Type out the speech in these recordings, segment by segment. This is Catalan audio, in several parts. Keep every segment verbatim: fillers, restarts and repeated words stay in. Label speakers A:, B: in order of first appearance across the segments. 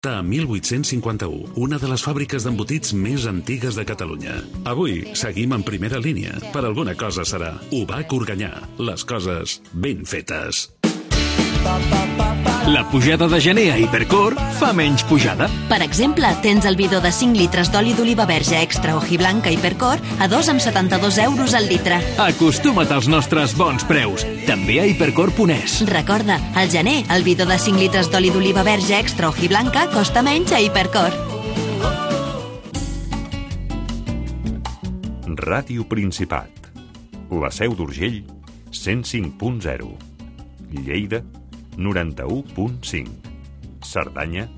A: A mil vuit-cents cinquanta-u, una de les fàbriques d'embotits més antigues de Catalunya. Avui seguim en primera línia. Per alguna cosa serà. Ubac Organyà. Les coses ben fetes.
B: La pujada de gener a Hipercor fa menys pujada.
C: Per exemple, tens el bidó de cinc litres d'oli d'oliva verge extra hojiblanca Hipercor a dos coma setanta-dos euros al litre.
B: Acostuma't als nostres bons preus. També a hipercor punt es.
C: Recorda, al gener, el bidó de cinc litres d'oli d'oliva verge extra hojiblanca costa menys a Hipercor.
D: Ràdio Principat. La Seu d'Urgell, cent cinc punt zero. Lleida, noranta-u punt cinc. Cerdanya,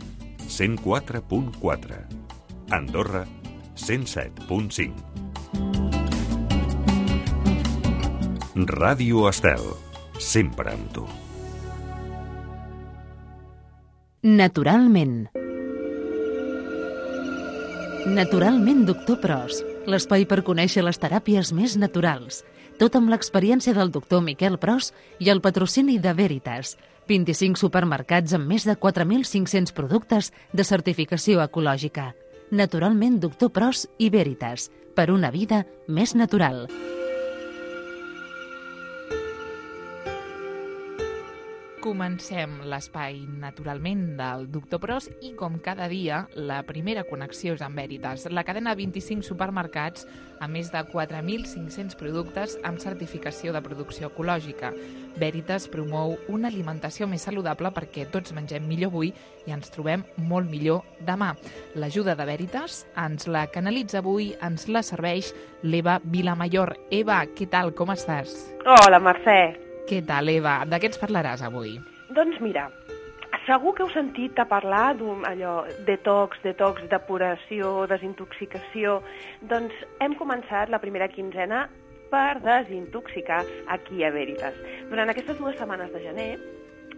D: cent quatre punt quatre. Andorra, cent set punt cinc. Ràdio Estel, sempre amb tu.
E: Naturalment. Naturalment, doctor Pros. L'espai per conèixer les teràpies més naturals. Tot amb l'experiència del doctor Miquel Pros i el patrocini de Veritas. vint-i-cinc supermercats amb més de quatre mil cinc-cents productes de certificació ecològica. Naturalment, doctor Pros i Veritas. Per una vida més natural.
F: Comencem l'espai naturalment del doctor Pros i, com cada dia, la primera connexió és amb Veritas, la cadena vint-i-cinc supermercats amb més de quatre mil cinc-cents productes amb certificació de producció ecològica. Veritas promou una alimentació més saludable perquè tots mengem millor avui i ens trobem molt millor demà. L'ajuda de Veritas ens la canalitza avui, ens la serveix l'Eva Vilamayor. Eva, què tal, com estàs?
G: Hola, Mercè.
F: Què tal, Eva? De què ens parlaràs avui?
G: Doncs mira, segur que heu sentit a parlar d'un allò detox, detox, depuració, desintoxicació. Doncs hem començat la primera quinzena per desintoxicar aquí a Veritas. Durant aquestes dues setmanes de gener,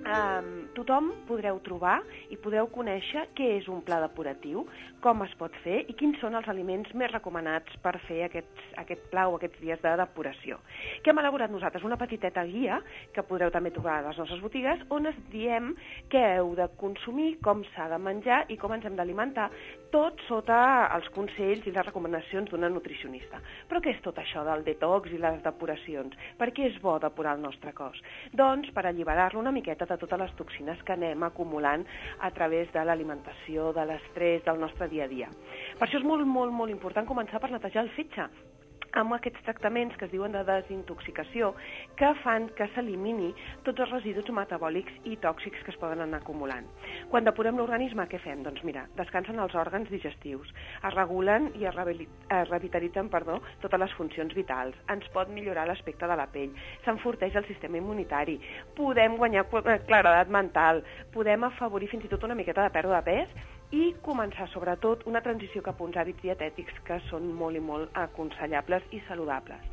G: Um, tothom podreu trobar i podreu conèixer què és un pla depuratiu, com es pot fer i quins són els aliments més recomanats per fer aquests, aquest pla o aquests dies de depuració. Què hem elaborat nosaltres? Una petiteta guia que podreu també trobar a les nostres botigues on es diem què heu de consumir, com s'ha de menjar i com ens hem d'alimentar, tot sota els consells i les recomanacions d'una nutricionista. Però què és tot això del detox i les depuracions? Per què és bo depurar el nostre cos? Doncs per alliberar-lo una miqueta de totes les toxines que anem acumulant a través de l'alimentació, de l'estrès, del nostre dia a dia. Per això és molt, molt, molt important començar per netejar el fetge amb aquests tractaments que es diuen de desintoxicació que fan que s'elimini tots els residus metabòlics i tòxics que es poden anar acumulant. Quan depurem l'organisme, què fem? Doncs mira, descansen els òrgans digestius, es regulen i es revitalitzen perdó, totes les funcions vitals, ens pot millorar l'aspecte de la pell, s'enforteix el sistema immunitari, podem guanyar claredat mental, podem afavorir fins i tot una miqueta de pèrdua de pes i començar, sobretot, una transició cap a uns hàbits dietètics que són molt i molt aconsellables i saludables.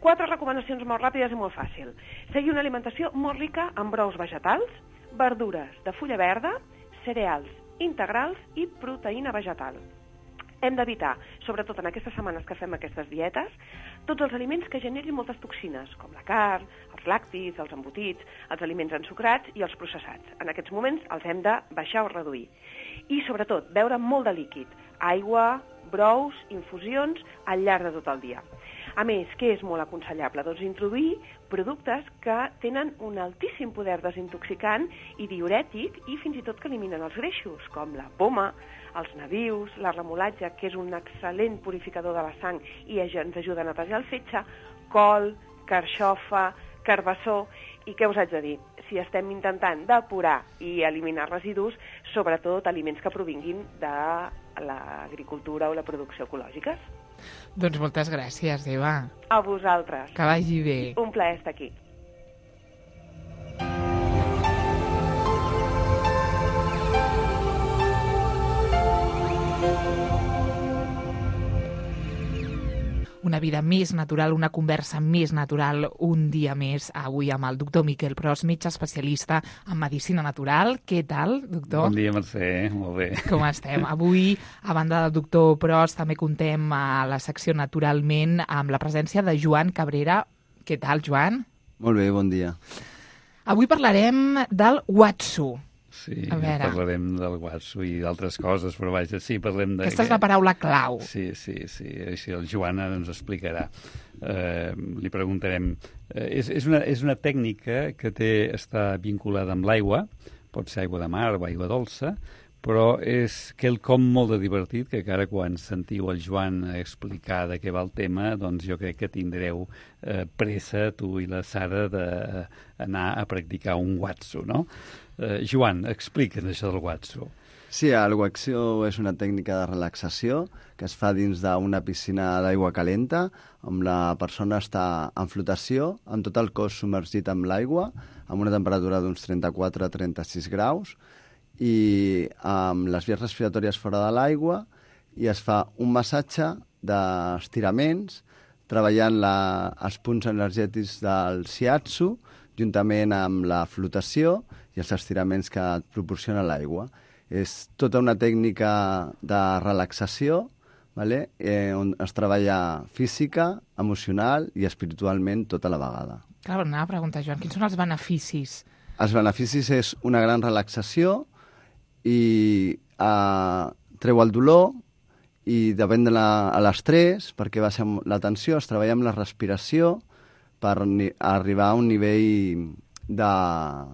G: Quatre recomanacions molt ràpides i molt fàcil. Seguir una alimentació molt rica en brous vegetals, verdures de fulla verda, cereals integrals i proteïna vegetal. Hem d'evitar, sobretot en aquestes setmanes que fem aquestes dietes, tots els aliments que generin moltes toxines, com la carn, els làctics, els embotits, els aliments ensucrats i els processats. En aquests moments els hem de baixar o reduir. I, sobretot, beure molt de líquid, aigua, brous, infusions, al llarg de tot el dia. A més, què és molt aconsellable? Doncs introduir productes que tenen un altíssim poder desintoxicant i diurètic i fins i tot que eliminen els greixos, com la poma, els nabius, la remolatge, que és un excel·lent purificador de la sang i ens ajuda a netejar el fetge, col, carxofa, carbassó, i què us haig de dir? Si estem intentant depurar i eliminar residus, sobretot aliments que provinguin de l'agricultura o la producció ecològiques.
F: Doncs moltes gràcies, Eva.
G: A vosaltres.
F: Que vagi bé.
G: Un plaer estar aquí.
F: Una vida més natural, una conversa més natural, un dia més, avui amb el doctor Miquel Pros, metge especialista en medicina natural. Què tal, doctor?
H: Bon dia, Mercè, molt bé.
F: Com estem? Avui, a banda del doctor Pros, també contem a la secció Naturalment amb la presència de Joan Cabrera. Què tal, Joan?
I: Molt bé, bon dia.
F: Avui parlarem del Watsu.
H: Sí,
F: A veure.
H: parlarem del Watsu i d'altres coses, però vaja, sí, parlem de...
F: Aquesta és la paraula clau.
H: Sí, sí, sí, així el Joan ara ens explicarà. Eh, li preguntarem... Eh, és, és, una, és una tècnica que té, està vinculada amb l'aigua, pot ser aigua de mar o aigua dolça, però és quelcom molt de divertit, que ara quan sentiu el Joan explicar de què va el tema, doncs jo crec que tindreu eh, pressa, tu i la Sara, d'anar a practicar un Watsu, no? Eh, Joan, explica'ns això del Watsu.
I: Sí, el Watsu és una tècnica de relaxació que es fa dins d'una piscina d'aigua calenta, on la persona està en flotació, amb tot el cos submergit en l'aigua, amb una temperatura d'uns trenta-quatre a trenta-sis graus, i amb les vies respiratòries fora de l'aigua, i es fa un massatge d'estiraments, treballant la, els punts energètics del shiatsu, juntament amb la flotació i els estiraments que et proporciona l'aigua. És tota una tècnica de relaxació, vale? eh, on es treballa física, emocional i espiritualment tota la vegada.
F: Clar, anava a preguntar, Joan, quins són els beneficis?
I: Els beneficis és una gran relaxació i eh, treu el dolor i depèn de la, a l'estrès, perquè baixa la tensió, es treballa amb la respiració per ni, arribar a un nivell de,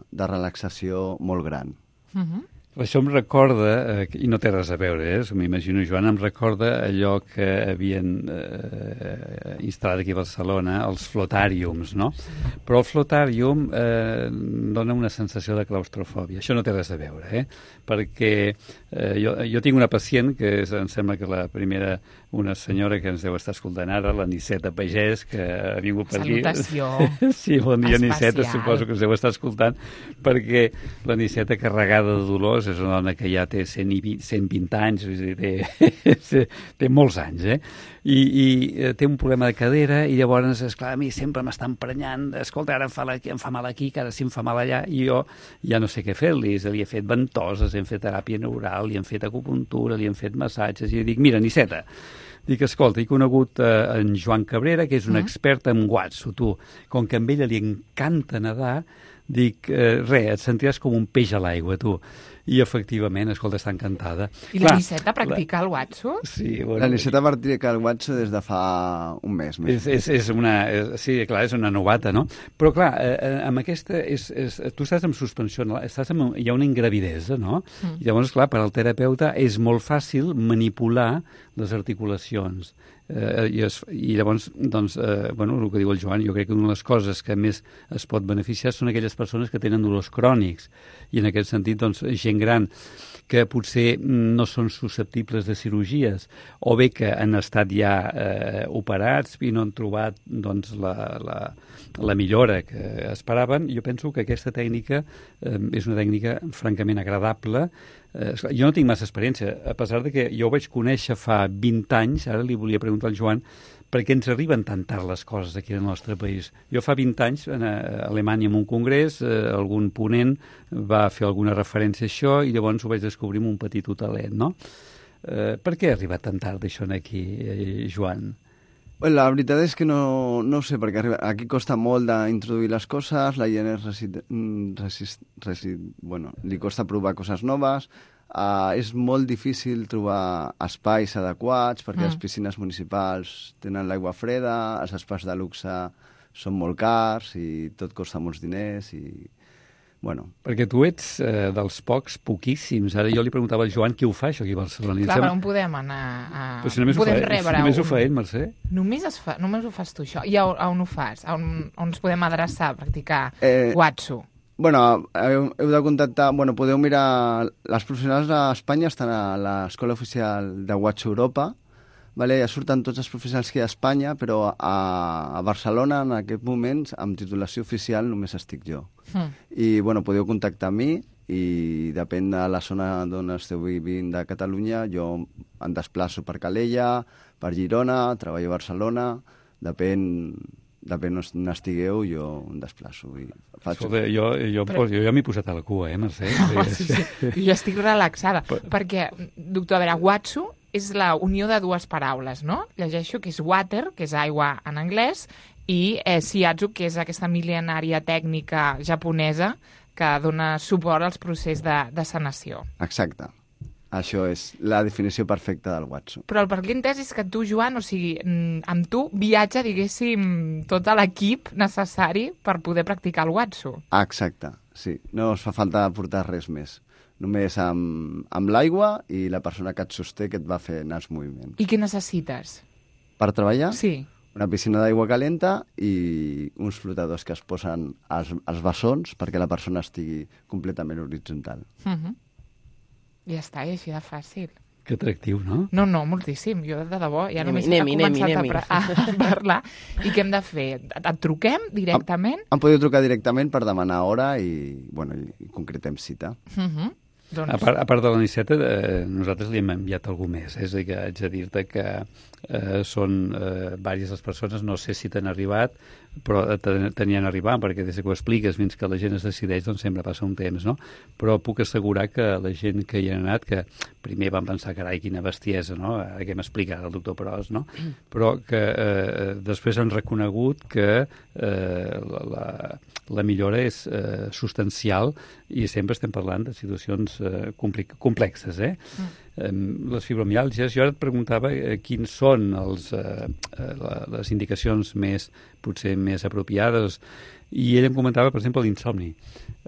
I: de relaxació molt gran.
F: Uh-huh.
H: Això em recorda, eh, i no té res a veure, eh, m'imagino, Joan, em recorda allò que havien eh, instal·lat aquí a Barcelona, els flotàriums, no? Sí. Però el flotàrium eh, dona una sensació de claustrofòbia. Això no té res a veure, eh? Perquè eh, jo, jo tinc una pacient, que és, em sembla que la primera, una senyora que ens deu estar escoltant ara, la Niceta Pagès, que ha vingut per aquí.
F: Salutació.
H: Sí, bon dia,
F: especial.
H: Niceta, suposo que ens deu estar escoltant, perquè la Niceta, carregada de dolors, és una dona que ja té cent vint anys, és a dir, té, té molts anys, eh? I, i té un problema de cadera, i llavors, esclar, a mi sempre m'està emprenyant, escolta, ara em fa, la, em fa mal aquí, que ara sí em fa mal allà, i jo ja no sé què fer-li, li he fet ventoses, hem fet teràpia neural, li hem fet acupuntura, li hem fet massatges, i dic, mira, Niceta, dic, escolta, he conegut eh, en Joan Cabrera, que és un expert en Watsu, tu, com que a ella li encanta nedar, dic, eh, res, et sentiràs com un peix a l'aigua, tu. I, efectivament, escolta, està encantada.
F: I la Niceta practica el Watsu?
H: Sí, bueno,
I: la Niceta practica el Watsu des de fa un mes. Més.
H: És, és, és una, és, sí, clar, és una novata, no? Però, clar, eh, amb aquesta... És, és, tu estàs en suspensió, estàs en, hi ha una ingravidesa, no? Mm. I llavors, clar, per al terapeuta és molt fàcil manipular les articulacions. Eh, i, es, I llavors, doncs, eh, bueno, el que diu el Joan, jo crec que una de les coses que més es pot beneficiar són aquelles persones que tenen dolors crònics. I en aquest sentit, doncs, gent gran que potser no són susceptibles de cirurgies, o bé que han estat ja eh, operats i no han trobat doncs, la, la, la millora que esperaven. Jo penso que aquesta tècnica eh, és una tècnica francament agradable. Eh, jo no tinc massa experiència, a pesar de que jo ho vaig conèixer fa vint anys, ara li volia preguntar al Joan, per què ens arriben tan tard les coses aquí al nostre país. Jo fa vint anys, a Alemanya, en un congrés, eh, algun ponent va fer alguna referència a això i llavors ho vaig descobrir amb un petit hotelet, no? Eh, per què ha arribat tan tard això aquí, eh, Joan?
I: La veritat és que no, no ho sé, perquè arriba, aquí costa molt d'introduir les coses, la gent és resist, resist, resist, bueno, li costa provar coses noves, uh, és molt difícil trobar espais adequats, perquè mm. les piscines municipals tenen l'aigua freda, els espais de luxe són molt cars i tot costa molts diners i... Bueno.
H: Perquè tu ets eh, dels pocs, poquíssims. Ara jo li preguntava al Joan qui ho fa, això aquí a Barcelona.
F: Clar, però on podem anar a...
H: Però si només,
F: podem
H: ho, fa,
F: rebre
H: si només
F: un...
H: ho fa ell, Mercè.
F: Només, es fa, només ho fas tu, això. I on, on ho fas? On, on ens podem adreçar a practicar
I: eh,
F: Watsu?
I: Bueno, heu, heu de contactar... Bueno, podeu mirar... Les professionals a Espanya estan a l'Escola Oficial de Watsu Europa, vale? Ja surten tots els professionals que hi ha a Espanya, però a, a Barcelona, en aquest moment, amb titulació oficial, només estic jo. Mm. I, bueno, podeu contactar amb mi i depèn de la zona d'on esteu vivint de Catalunya, jo em desplaço per Calella, per Girona, treballo a Barcelona, depèn... depèn on estigueu, jo em desplaço i faig...
H: Escolta, jo, jo, Però... jo ja m'he posat a la cua, eh, Mercè?
F: Oh, sí, sí. Jo estic relaxada, Però... perquè, doctor, a veure, Watsu és la unió de dues paraules, no? Llegeixo que és water, que és aigua en anglès, i eh, shiatsu, que és aquesta mil·lenària tècnica japonesa que dona suport als processos de, de sanació.
I: Exacte. Això és la definició perfecta del Watsu.
F: Però el per què entès és que tu, Joan, o sigui, amb tu viatja, diguéssim, tot l'equip necessari per poder practicar el Watsu.
I: Exacte, sí. No es fa falta portar res més. Només amb, amb l'aigua i la persona que et sosté que et va fent els moviments.
F: I què necessites?
I: Per treballar?
F: Sí.
I: Una piscina d'aigua calenta i uns flotadors que es posen als, als bessons perquè la persona estigui completament horitzontal.
F: Uh-huh. Ja està, i així de fàcil.
H: Que atractiu, no?
F: No, no, moltíssim. Jo, de debò, ja
J: Anem-hi,
F: només he
J: anem-hi,
F: començat
J: anem-hi,
F: a, a parlar. I què hem de fer? Et truquem directament?
I: Em, em podeu trucar directament per demanar hora i, bueno, i concretem cita.
F: Uh-huh. Doncs...
H: A, part, a part de l'aniceta, eh, nosaltres li hem enviat algú més. Eh? És a dir, que haig de dir-te que eh, són eh, diverses les persones, no sé si t'han arribat, però tenien arribat, perquè des que ho expliques fins que la gent es decideix, doncs sempre passa un temps, no? Però puc assegurar que la gent que hi ha anat, que primer van pensar, carai, quina bestiesa, no? Ara que m'explica el doctor Pros, no? Però que eh, després han reconegut que eh, la, la, la millora és eh, substancial i sempre estem parlant de situacions eh, complexes, eh? Mm. Eh, les fibromiàlgies, jo ara et preguntava eh, quins són els, eh, eh, les indicacions més, potser més apropiades, i ell em comentava, per exemple, l'insomni.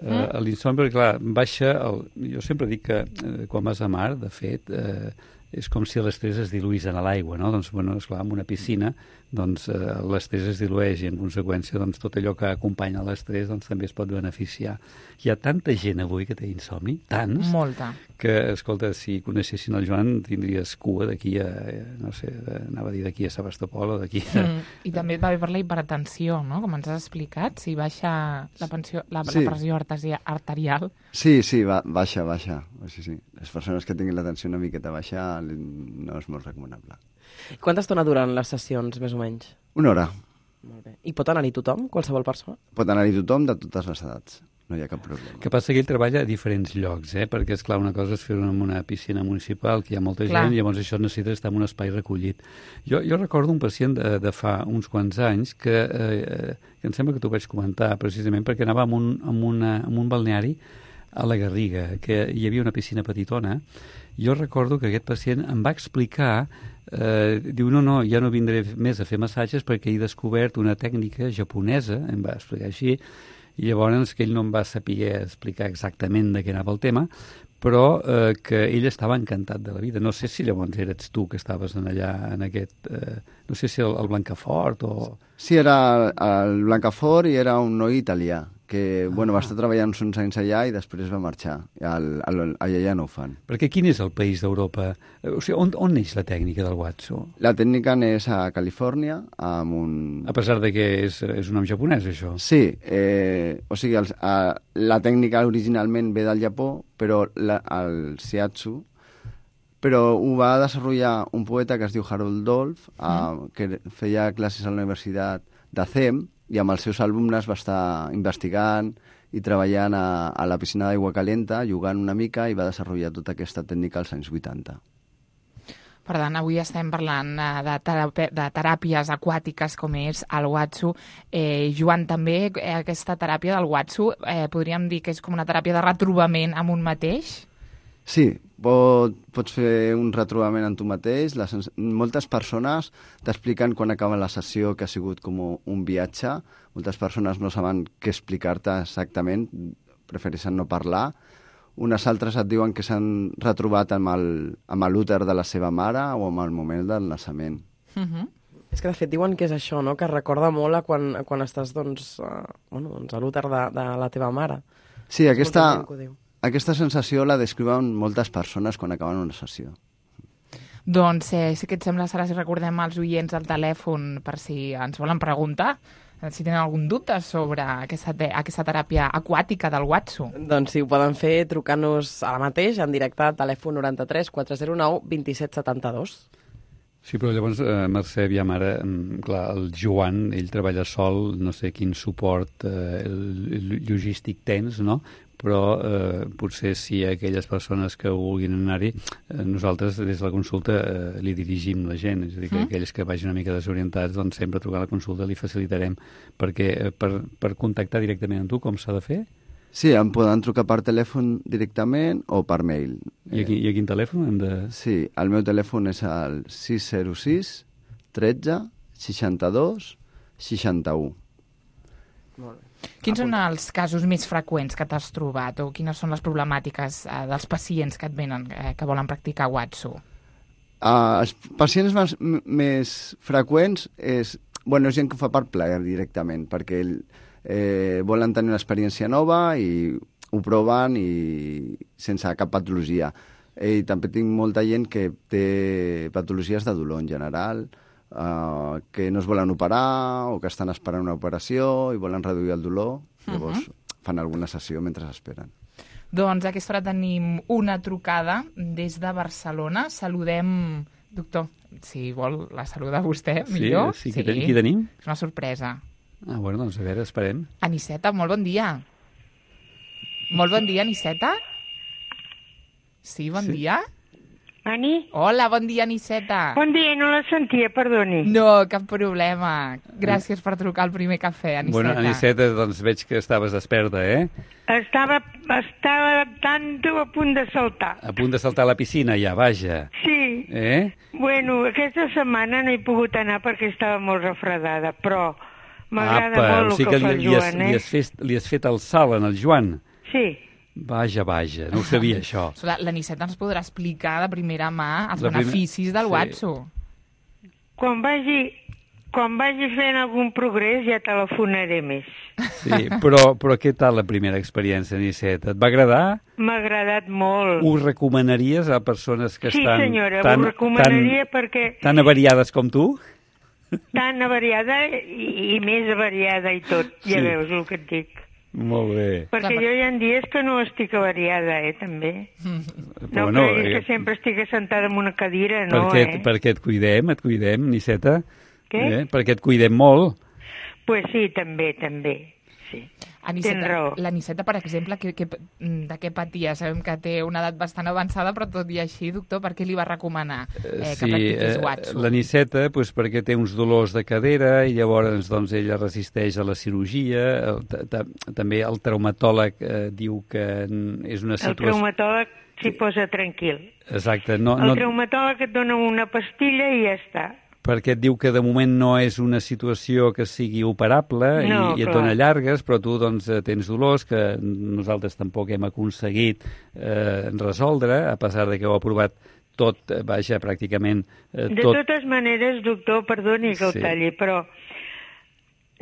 H: Mm. Eh, l'insomni, perquè clar, baixa, el, jo sempre dic que eh, quan vas a mar, de fet, eh, és com si l'estrès es diluís en l'aigua, no? Doncs, bueno, esclar, en una piscina, doncs eh, l'estrès es dilueix i en conseqüència doncs, tot allò que acompanya l'estrès doncs, també es pot beneficiar. Hi ha tanta gent avui que té insomni, tants,
F: Molta.
H: que, escolta, si coneixessin el Joan tindries cua d'aquí a, no sé, anava a dir d'aquí a Sebastopol o d'aquí a...
F: Mm. I també va bé per la hipertensió, no?, com ens has explicat, si baixa la, pensió, la,
I: sí.
F: la pressió artesia, arterial.
I: Sí, sí, va, baixa, baixa. Sí, sí. Les persones que tinguin la tensió una miqueta baixa no és molt recomanable.
J: Quanta estona duren les sessions, més o menys?
I: Una hora.
J: Molt bé. I pot anar-hi tothom, qualsevol persona?
I: Pot anar-hi tothom de totes les edats. No hi ha cap problema.
H: Que passa que ell treballa a diferents llocs, eh? Perquè, és clar, una cosa és fer-ho en una piscina municipal, que hi ha molta
F: clar.
H: gent, i llavors això necessita estar en un espai recollit. Jo, jo recordo un pacient de, de fa uns quants anys que, eh, que em sembla que t'ho vaig comentar, precisament perquè anava en un, en una, en un balneari a la Garriga, que hi havia una piscina petitona. Jo recordo que aquest pacient em va explicar, eh, diu, no, no, ja no vindré més a fer massatges perquè he descobert una tècnica japonesa, em va explicar així, i llavors que ell no em va saber explicar exactament de què anava el tema, però eh, que ell estava encantat de la vida. No sé si llavors eres tu que estaves en allà, en aquest... Eh, no sé si el, el Blancafort o...
I: Sí, era el Blancafort i era un noi italià, que ah. bueno, va estar treballant uns anys allà i després va marxar. Al, al, allà ja no ho fan.
H: Perquè quin és el país d'Europa? O sigui, on, on neix la tècnica del Watsu?
I: La tècnica neix a Califòrnia, amb un...
H: A pesar de que és, és un nom japonès, això?
I: Sí, eh, o sigui, el, a, la tècnica originalment ve del Japó, però la, el shiatsu, però ho va desenvolupar un poeta que es diu Harold Dolph, mm. eh, que feia classes a la Universitat de C E M, i amb els seus alumnes va estar investigant i treballant a, a la piscina d'aigua calenta, jugant una mica, i va desenvolupar tota aquesta tècnica als anys vuitanta.
F: Per tant, avui estem parlant de, teràpi de teràpies aquàtiques com és el Watsu. Eh, Joan, també eh, aquesta teràpia del Watsu eh, podríem dir que és com una teràpia de retrobament amb un mateix?
I: Sí, pot, pots fer un retrobament en tu mateix. Les, moltes persones t'expliquen quan acaba la sessió que ha sigut com un viatge. Moltes persones no saben què explicar-te exactament, prefereixen no parlar. Unes altres et diuen que s'han retrobat amb l'úter de la seva mare o amb el moment del naixement.
F: Uh-huh.
J: És que, de fet, diuen que és això, no?, que recorda molt a quan, quan estàs doncs, uh, bueno, doncs a l'úter de, de la teva mare.
I: Sí, aquesta, aquesta sensació la descriuen moltes persones quan acaben una sessió.
F: Doncs, eh, si que et sembla, Sara, si recordem als oients al telèfon per si ens volen preguntar, si tenen algun dubte sobre aquesta, te aquesta teràpia aquàtica del Watsu.
J: Doncs sí, ho poden fer trucant-nos ara mateix, en directe, al telèfon noranta-tres quatre zero nou vint set setanta-dos.
H: Sí, però llavors, eh, Mercè, aviam ara, clar, el Joan, ell treballa sol, no sé quin suport eh, logístic tens, no?, però eh, potser si aquelles persones que vulguin anar-hi, eh, nosaltres des de la consulta eh, li dirigim la gent, és a dir, que mm. aquells que vagin una mica desorientats, doncs sempre trucar a la consulta li facilitarem, perquè eh, per, per contactar directament amb tu, com s'ha de fer?
I: Sí, em poden trucar per telèfon directament o per mail.
H: I a, qui, i a quin telèfon hem de...?
I: Sí, el meu telèfon és el sis zero sis tretze seixanta-dos seixanta-u.
J: Molt bé.
F: Quins són els casos més freqüents que t'has trobat o quines són les problemàtiques eh, dels pacients que et venen, eh, que volen practicar Watsu?
I: Uh, els pacients més, més freqüents és, bueno, és gent que ho fa per plaer directament, perquè eh, volen tenir una experiència nova i ho proven i sense cap patologia. I també tinc molta gent que té patologies de dolor en general, Uh, que no es volen operar o que estan esperant una operació i volen reduir el dolor, llavors uh -huh. fan alguna sessió mentre esperen.
F: Doncs a aquesta hora tenim una trucada des de Barcelona. Saludem, doctor, si vol la saluda vostè, millor.
H: Sí, sí, sí. Qui tenim?
F: És una sorpresa.
H: Ah, bueno, doncs a veure, esperem.
F: Aniceta, molt bon dia. Molt bon dia, Aniceta. Sí, bon sí. dia.
K: Ani?
F: Hola, bon dia, Aniceta.
K: Bon dia, no la sentia, perdoni.
F: No, cap problema. Gràcies per trucar al primer cafè, Aniceta.
H: Bueno, Aniceta, doncs veig que estaves desperta, eh?
K: Estava, estava tanto a punt de saltar.
H: A punt de saltar a la piscina, ja, vaja.
K: Sí.
H: Eh?
K: Bueno, aquesta setmana no he pogut anar perquè estava molt refredada, però m'agrada molt el
H: o sigui
K: que,
H: que
K: fa
H: li,
K: el Joan,
H: li has,
K: eh?
H: li has, fet, li has fet el salt en el Joan?
K: Sí.
H: Vaja, vaja, no ho sabia, això.
F: La, la Niceta ens podrà explicar de primera mà els
H: la
F: beneficis
H: primer...
F: del Watsu.
K: Sí. Quan vagi, quan vagi fent algun progrés ja telefonaré més.
H: Sí, però, però què tal la primera experiència, Niceta? Et va agradar?
K: M'ha agradat molt.
H: Ho recomanaries a persones que
K: sí,
H: estan...
K: Sí, senyora,
H: tan,
K: ho recomanaria
H: tan,
K: perquè...
H: Tan avariades com tu?
K: Tan avariada i, i més avariada i tot, ja sí. Veus el que et dic.
H: Molt bé.
K: Perquè Clar, jo hi ha dies que no estic avariada, eh, també. No
H: bueno,
K: creguis
H: eh,
K: que sempre estic assentada en una cadira, no,
H: perquè,
K: eh?
H: Perquè et cuidem, et cuidem, Niceta.
K: Què?
H: Eh? Perquè et cuidem molt.
K: Pues sí, també, també, sí.
F: Aniceta, raó. La Niceta, per exemple, que, que, de què patia? Sabem que té una edat bastant avançada, però tot i així, doctor, per què li va recomanar eh,
H: sí,
F: que practiqués Watsu?
H: La Niceta, pues, perquè té uns dolors de cadera i llavors doncs, ella resisteix a la cirurgia. El, també el traumatòleg eh, diu que és una situació...
K: El traumatòleg s'hi posa tranquil.
H: Exacte. No,
K: el
H: no...
K: traumatòleg et dona una pastilla i ja està.
H: Perquè et diu que de moment no és una situació que sigui operable
K: no,
H: i, i et dona llargues, però tu doncs, tens dolors que nosaltres tampoc hem aconseguit eh, resoldre, a pesar de que ho ha provat tot, vaja, pràcticament eh, tot.
K: De totes maneres, doctor, perdoni que el sí. talli, però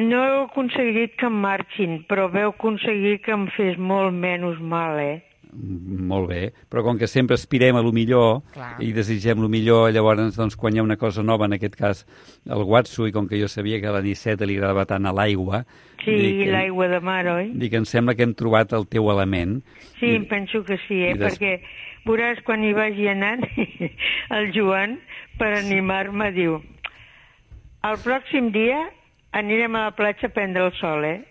K: no heu aconseguit que em marxin, però veu aconseguir que em fes molt menys mal, eh?
H: Molt bé, però com que sempre aspirem a lo millor Clar. I desitgem lo millor, llavors doncs, quan hi ha una cosa nova, en aquest cas el Watsu, i com que jo sabia que a la Niceta li agradava tant a l'aigua...
K: Sí, l'aigua de mar, oi?
H: Dic, em sembla que hem trobat el teu element.
K: Sí, I, em penso que sí, eh? Des... perquè veuràs quan hi vagi anant, el Joan, per animar-me, diu el pròxim dia anirem a la platja a prendre el sol, eh?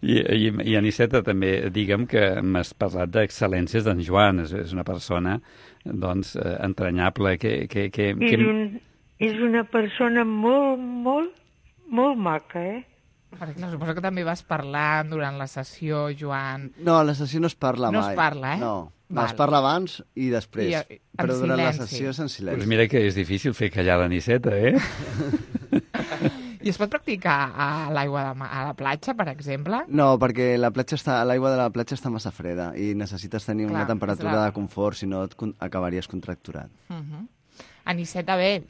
H: I, i, i Aniceta, també digue'm que m'has parlat d'excel·lències d'en Joan, és, és una persona doncs, eh, entranyable que... que, que,
K: és,
H: que...
K: Un, és una persona molt, molt, molt maca, eh?
F: Perquè, clar, suposo que també vas parlar durant la sessió, Joan.
I: No, a la sessió no es parla
F: no
I: mai.
F: No es parla, eh?
I: No, no es parla abans i després,
F: I,
I: però durant
F: silenci.
I: la sessió és en silenci.
H: Pues mira que és difícil fer callar la Niceta, eh?
F: I es pot practicar a l'aigua de a la platja, per exemple?
I: No, perquè la platja està, l'aigua de la platja està massa freda i necessites tenir Clar, una temperatura la... de confort, si no et con acabaries contracturat.
F: Uh -huh. Aniceta, bé,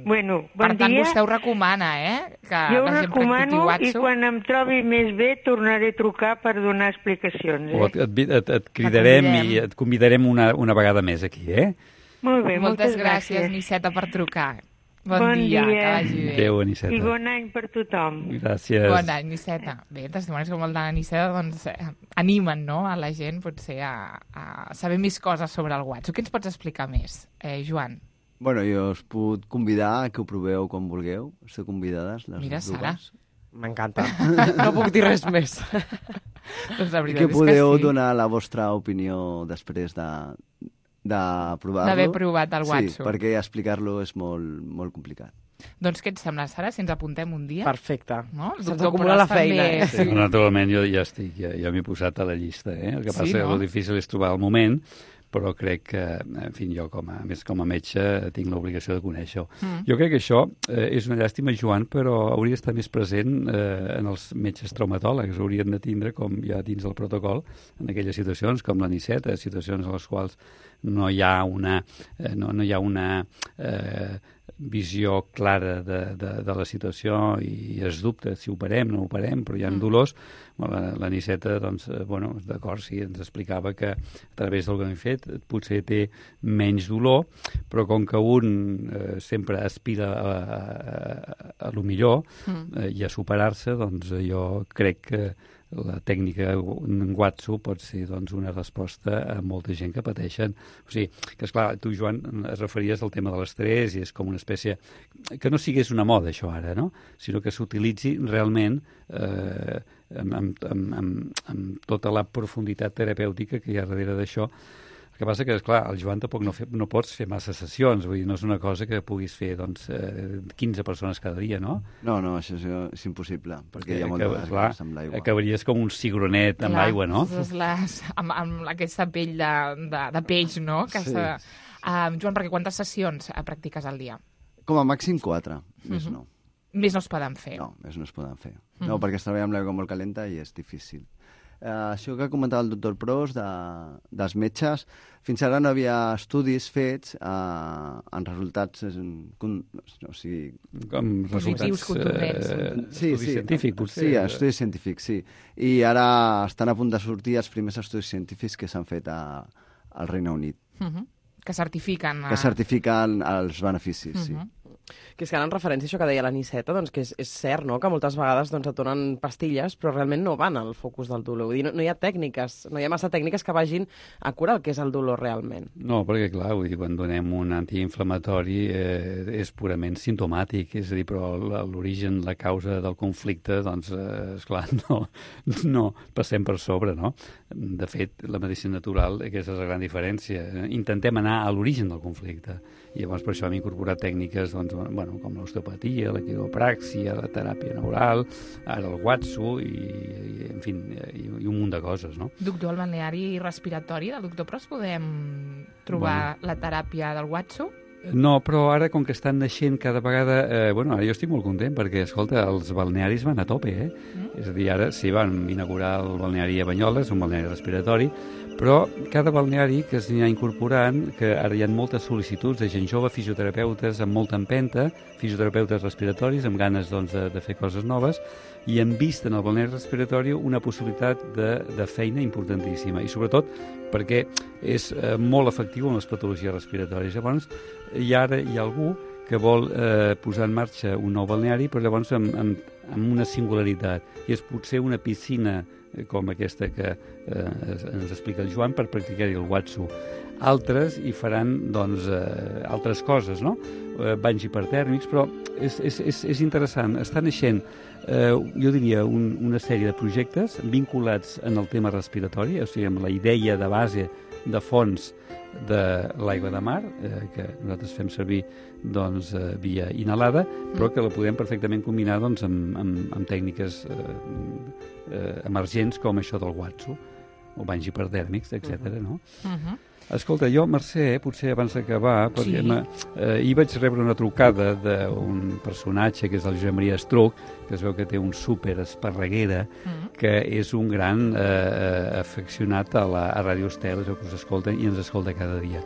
K: bueno, bon
F: per tant
K: dia.
F: vostè ho recomana, eh? Que
K: jo ho
F: la gent
K: recomano
F: practiqui
K: i quan em trobi més bé tornaré a trucar per donar explicacions. Eh?
H: O et, et, et, et cridarem i et convidarem una, una vegada més aquí, eh?
K: Molt bé,
F: moltes,
K: moltes
F: gràcies,
K: gràcies,
F: Niceta, per trucar. Bon,
K: bon
F: dia,
K: dia,
F: que vagi bé.
H: Adéu, Aniceta.
K: I bon any per tothom.
H: Gràcies.
F: Bon any, Niceta. Bé, testimonis com el de Niceta doncs, eh, animen no, a la gent potser a, a saber més coses sobre el Watsu. Què ens pots explicar més, eh, Joan?
I: Bueno, jo us puc convidar a que ho proveu quan vulgueu. Esteu convidades, les
F: Mira,
I: dues.
F: Sara.
J: M'encanta. No puc dir res més.
F: Doncs la veritat
I: que
F: és
I: podeu
F: que sí.
I: donar la vostra opinió després de, de provar-lo.
F: D'haver provat el Watsu.
I: Sí, perquè explicar-lo és molt, molt complicat.
F: Doncs què et sembla, Sara, si ens apuntem un dia?
J: Perfecte.
F: No?
J: Se'ns acumula la feina.
F: També...
H: Sí, naturalment, jo ja estic, ja, ja m'he posat a la llista. Eh? El que passa sí, no? que el difícil és trobar el moment, però crec que, en fi, jo com a, més com a metge tinc l'obligació de conèixer-ho. Mm. Jo crec que això eh, és una llàstima, Joan, però hauria d'estar més present eh, en els metges traumatòlegs. Haurien de tindre, com ja dins del protocol, en aquelles situacions com l'aniceta, situacions en les quals no hi ha una, eh, no, no hi ha una eh, visió clara de, de, de la situació i es dubta si operem, no operem, però hi ha mm. dolors. L'aniceta, doncs, bueno, d'acord, sí, ens explicava que a través del que hem fet potser té menys dolor, però com que un eh, sempre aspira a, a, a, a lo millor mm. eh, i a superar-se, doncs jo crec que la tècnica en Watsu pot ser doncs, una resposta a molta gent que pateixen. O sigui, que esclar, tu, Joan, es referies al tema de l'estrès i és com una espècie... Que no sigués una moda, això, ara, no? Sinó que s'utilitzi realment eh, amb, amb, amb, amb tota la profunditat terapèutica que hi ha darrere d'això. El que passa que, esclar, el Joan tampoc no, fe, no pots fer massa sessions, vull dir, no és una cosa que puguis fer, doncs, eh, quinze persones cada dia, no?
I: No, no, això és, és impossible, perquè hi ha molta desgast amb l'aigua.
H: Acabaries com un cigronet amb aigua, no?
F: Les, amb, amb aquesta pell de, de, de peix, no? Que sí. Uh, Joan, perquè quantes sessions practiques al dia?
I: Com a màxim quatre, més uh -huh. no.
F: Més no es poden fer?
I: No, més no es poden fer. Uh -huh. No, perquè es treballa amb l'aigua molt calenta i és difícil. Uh, això que comentava el doctor Pros de, dels metges, fins ara no havia estudis fets uh, en resultats en, con, o sigui,
H: com resultats
F: eh,
I: sí,
H: estudis
I: sí,
H: científics, potser.
I: Sí, estudis científics, sí. I ara estan a punt de sortir els primers estudis científics que s'han fet a, al Regne Unit.
F: Uh -huh. Que certifiquen...
I: A... Que certifiquen els beneficis, uh -huh. sí.
J: Que és que ara en referència a això que deia l'aniceta, doncs que és, és cert, no?, que moltes vegades doncs, et donen pastilles, però realment no van al focus del dolor. Vull dir, no, no hi ha tècniques, no hi ha massa tècniques que vagin a curar el que és el dolor realment.
H: No, perquè clar, vull dir, quan donem un antiinflamatori eh, és purament simptomàtic, és a dir, però l'origen, la causa del conflicte, doncs, eh, esclar, no, no passem per sobre, no? De fet, la medicina natural, aquesta és la gran diferència. Intentem anar a l'origen del conflicte. I llavors per això hem incorporat tècniques doncs, bueno, com l'osteopatia, la quiropràxia, la teràpia neural, ara el Watsu i, i en fi, i, i un munt de coses, no?
F: Doctor, al balneari respiratori del doctor Pros podem trobar bueno. la teràpia del Watsu?
H: No, però ara, com que estan naixent cada vegada... Eh, bueno, ara jo estic molt content, perquè, escolta, els balnearis van a tope, eh? Mm. És a dir, ara sí, van inaugurar el balneari a Banyoles, un balneari respiratori, però cada balneari que s'hi ha incorporant, que ara hi ha moltes sol·licituds de gent jove, fisioterapeutes amb molta empenta, fisioterapeutes respiratoris, amb ganes doncs, de, de fer coses noves, i han vist en el balneari respiratori una possibilitat de, de feina importantíssima, i sobretot perquè és eh, molt efectiu en les patologies respiratòries. Llavors, i ara hi ha algú que vol eh, posar en marxa un nou balneari, però llavors amb, amb, amb una singularitat, i és potser una piscina com aquesta que eh, ens explica el Joan per practicar-hi el Watsu. Altres hi faran doncs, eh, altres coses, no? Eh, banys hipertèrmics, però és, és, és, és interessant. Està naixent, eh, jo diria, un, una sèrie de projectes vinculats en el tema respiratori, o sigui, amb la idea de base de fons de l'aigua de mar, eh, que nosaltres fem servir doncs, eh, via inhalada, però que la podem perfectament combinar doncs, amb, amb, amb tècniques eh, eh, emergents com això del Watsu, o banys hiperdèrmics, etcètera. No?
F: Uh-huh.
H: Escolta, jo, Mercè, eh, potser abans d'acabar, perquè sí. eh, hi vaig rebre una trucada d'un personatge que és el Josep Maria Estruc, que es veu que té un súper esparreguera, mm. que és un gran eh, afeccionat a la a Ràdio Estel, que us escolten i ens escolta cada dia.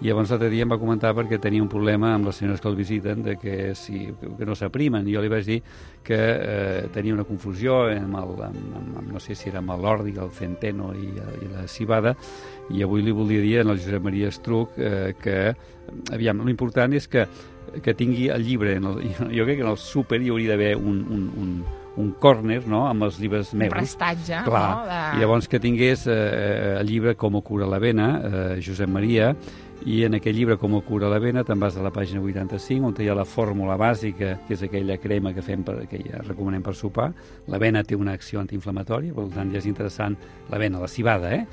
H: I llavors l'altre dia em va comentar perquè tenia un problema amb les senyores que el visiten de que, si, que no s'aprimen. I jo li vaig dir que eh, tenia una confusió amb, el, amb, amb, amb, no sé si era amb l'òrdic, el centeno i, i la cibada, i avui li volia dir al Josep Maria Estruc eh, que, aviam, l'important és que, que tingui el llibre. En el, jo crec que en el súper hi hauria d'haver un, un, un, un córner, no?, amb els llibres meus.
F: Un prestatge,
H: clar,
F: no? De...
H: I llavors que tingués eh, el llibre Com ho cura la vena, eh, Josep Maria, i en aquell llibre Com ho cura la vena te'n vas a la pàgina vuitanta-cinc, on hi ha la fórmula bàsica, que és aquella crema que fem per, que ja recomanem per sopar. La vena té una acció antiinflamatòria, per tant ja és interessant la vena, la cibada, eh?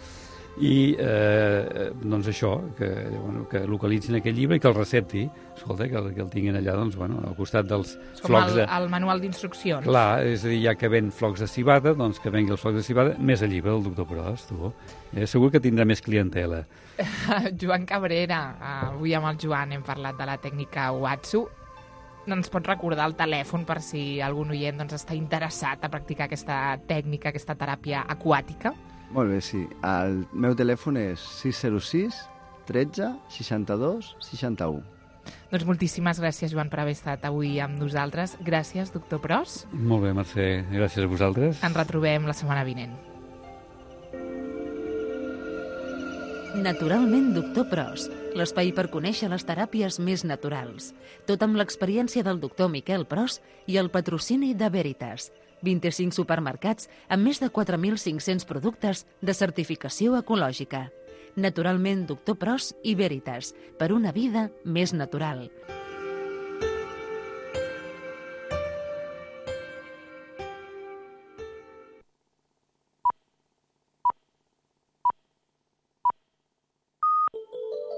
H: i eh, doncs això, que, bueno, que localitzin aquest llibre i que el recepti, escolta, que, el, que el tinguin allà, doncs, bueno, al costat dels
F: és com
H: flocs
F: el,
H: de...
F: el manual d'instruccions.
H: Clar, és a dir, ja que ven flocs de cibada, doncs que vengui els flocs de cibada, més el llibre del doctor Pros, tu. Eh, segur que tindrà més clientela.
F: Joan Cabrera, avui amb el Joan hem parlat de la tècnica Watsu. No ens pots recordar el telèfon per si algun oient doncs, està interessat a practicar aquesta tècnica, aquesta teràpia aquàtica?
I: Molt bé, sí. El meu telèfon és sis zero sis tretze seixanta-dos seixanta-u.
F: Doncs moltíssimes gràcies, Joan, per haver estat avui amb nosaltres. Gràcies, doctor Pros.
H: Molt bé, Mercè. Gràcies a vosaltres.
F: Ens retrobem la setmana vinent.
E: Naturalment, doctor Pros, l'espai per conèixer les teràpies més naturals. Tot amb l'experiència del doctor Miquel Pros i el patrocini de Veritas. vint-i-cinc supermercats amb més de quatre mil cinc-cents productes de certificació ecològica. Naturalment, doctor Pros i Veritas, per una vida més natural.